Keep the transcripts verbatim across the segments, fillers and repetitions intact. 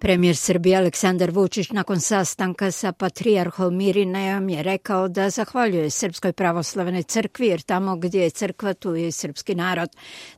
Premijer Srbije Aleksandar Vučić nakon sastanka sa patrijarhom Irinejom je rekao da zahvaljuje Srpskoj pravoslavnoj crkvi jer tamo gdje je crkva tu je srpski narod.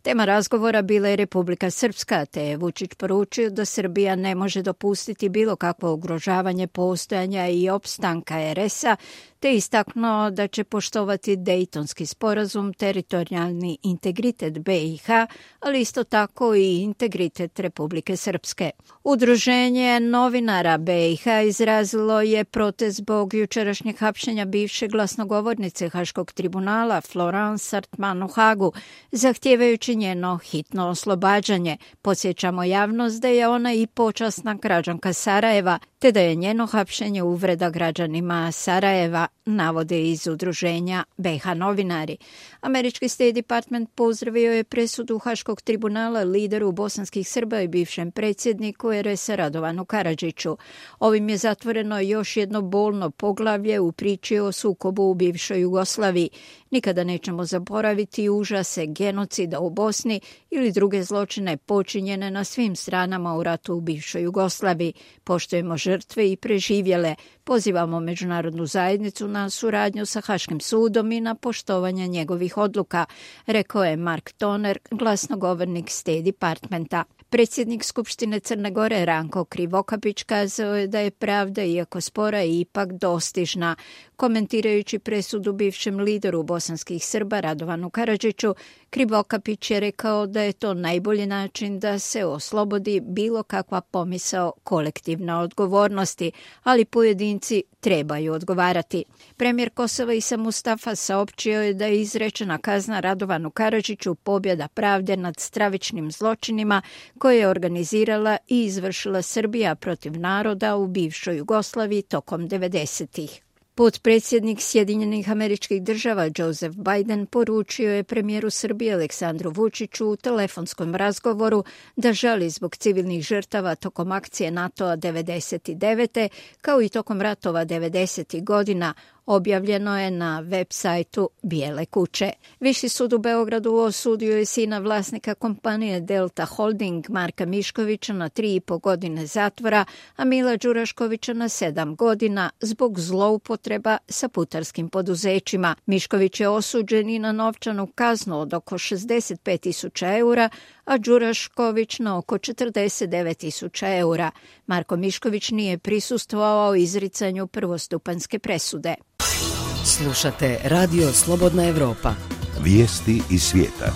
Tema razgovora bila je Republika Srpska, te je Vučić poručio da Srbija ne može dopustiti bilo kakvo ugrožavanje postojanja i opstanka er es a, te istaknuo da će poštovati Dejtonski sporazum, teritorijalni integritet be i ha, ali isto tako i integritet Republike Srpske. Udruženje novinara be i ha izrazilo je protest zbog jučerašnjeg hapšenja bivše glasnogovornice Haškog tribunala Florence Sartman u Hagu, zahtijevajući njeno hitno oslobađanje. Podsjećamo javnost da je ona i počasna građanka Sarajeva, te da je njeno hapšenje uvreda građanima Sarajeva, navode iz udruženja be i ha novinari. Američki State Department pozdravio je presudu Haškog tribunala lideru bosanskih Srba i bivšem predsjedniku er es a Radovanu Karadžiću. Ovim je zatvoreno još jedno bolno poglavlje u priči o sukobu u bivšoj Jugoslaviji. Nikada nećemo zaboraviti užase genocida u Bosni ili druge zločine počinjene na svim stranama u ratu u bivšoj Jugoslaviji. Poštujemo žrtve i preživjele. Pozivamo međunarodnu zajednicu na suradnju sa Haškim sudom i na poštovanje njegovih odluka, rekao je Mark Toner, glasnogovornik State Departmenta. Predsjednik Skupštine Crne Gore Ranko Krivokapić kazao je da je pravda, iako spora, ipak dostižna. Komentirajući presudu bivšem lideru bosanskih Srba Radovanu Karadžiću, Krivokapić je rekao da je to najbolji način da se oslobodi bilo kakva pomisao kolektivne odgovornosti, ali pojedinci trebaju odgovarati. Premijer Kosova Isa Mustafa saopćio je da je izrečena kazna Radovanu Karadžiću pobjeda pravde nad stravičnim zločinima koje je organizirala i izvršila Srbija protiv naroda u bivšoj Jugoslaviji tokom devedesetih. Potpredsjednik Sjedinjenih Američkih Država Joseph Biden poručio je premijeru Srbije Aleksandru Vučiću u telefonskom razgovoru da žali zbog civilnih žrtava tokom akcije NATO-a devedeset devete kao i tokom ratova devedesetih godina, objavljeno je na web sajtu Bijele kuće. Viši sud u Beogradu osudio je sina vlasnika kompanije Delta Holding Marka Miškovića na tri i po godine zatvora, a Mila Đuraškovića na sedam godina zbog zloupotreba sa putarskim poduzećima. Mišković je osuđen i na novčanu kaznu od oko šezdeset pet tisuća eura, a Đurašković na oko četrdeset devet tisuća eura. Marko Mišković nije prisustvovao izricanju prvostupanjske presude. Slušate Radio Slobodna Evropa. Vijesti iz svijeta.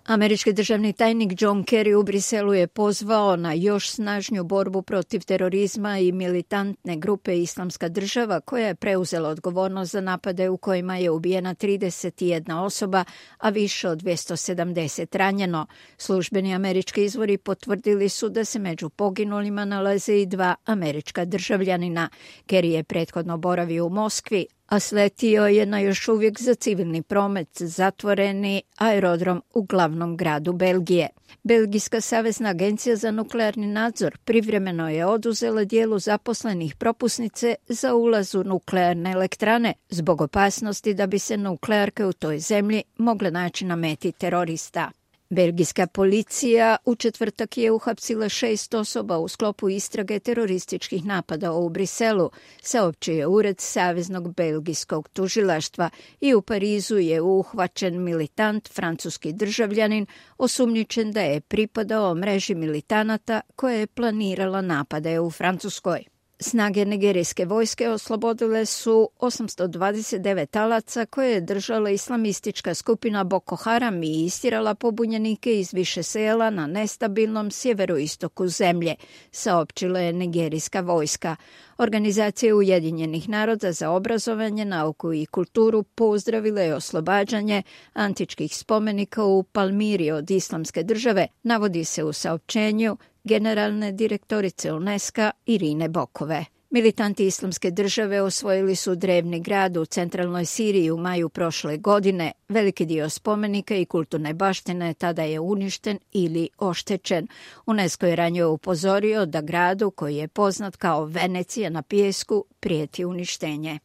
Američki državni tajnik John Kerry u Briselu je pozvao na još snažniju borbu protiv terorizma i militantne grupe Islamska država koja je preuzela odgovornost za napade u kojima je ubijena trideset jedna osoba, a više od dvjesto sedamdeset ranjeno. Službeni američki izvori potvrdili su da se među poginulima nalaze i dva američka državljanina. Kerry je prethodno boravio u Moskvi, a sletio je na još uvijek za civilni promet zatvoreni aerodrom u glavnom gradu Belgije. Belgijska savezna agencija za nuklearni nadzor privremeno je oduzela dijelu zaposlenih propusnice za ulaz u nuklearne elektrane zbog opasnosti da bi se nuklearke u toj zemlji mogle naći na meti terorista. Belgijska policija u četvrtak je uhapsila šest osoba u sklopu istrage terorističkih napada u Briselu, saopćio je ured Saveznog belgijskog tužilaštva, i u Parizu je uhvaćen militant, francuski državljanin, osumnjičen da je pripadao mreži militanata koja je planirala napade u Francuskoj. Snage nigerijske vojske oslobodile su osamsto dvadeset devet talaca koje je držala islamistička skupina Boko Haram i istirala pobunjenike iz više sela na nestabilnom sjeveroistoku zemlje, saopćila je nigerijska vojska. Organizacija Ujedinjenih naroda za obrazovanje, nauku i kulturu pozdravila je oslobađanje antičkih spomenika u Palmiri od Islamske države, navodi se u saopćenju generalne direktorice UNESCO Irine Bokove. Militanti Islamske države osvojili su drevni grad u centralnoj Siriji u maju prošle godine. Veliki dio spomenika i kulturne baštine tada je uništen ili oštećen. UNESCO je ranije upozorio da gradu, koji je poznat kao Venecija na pijesku, prijeti uništenje.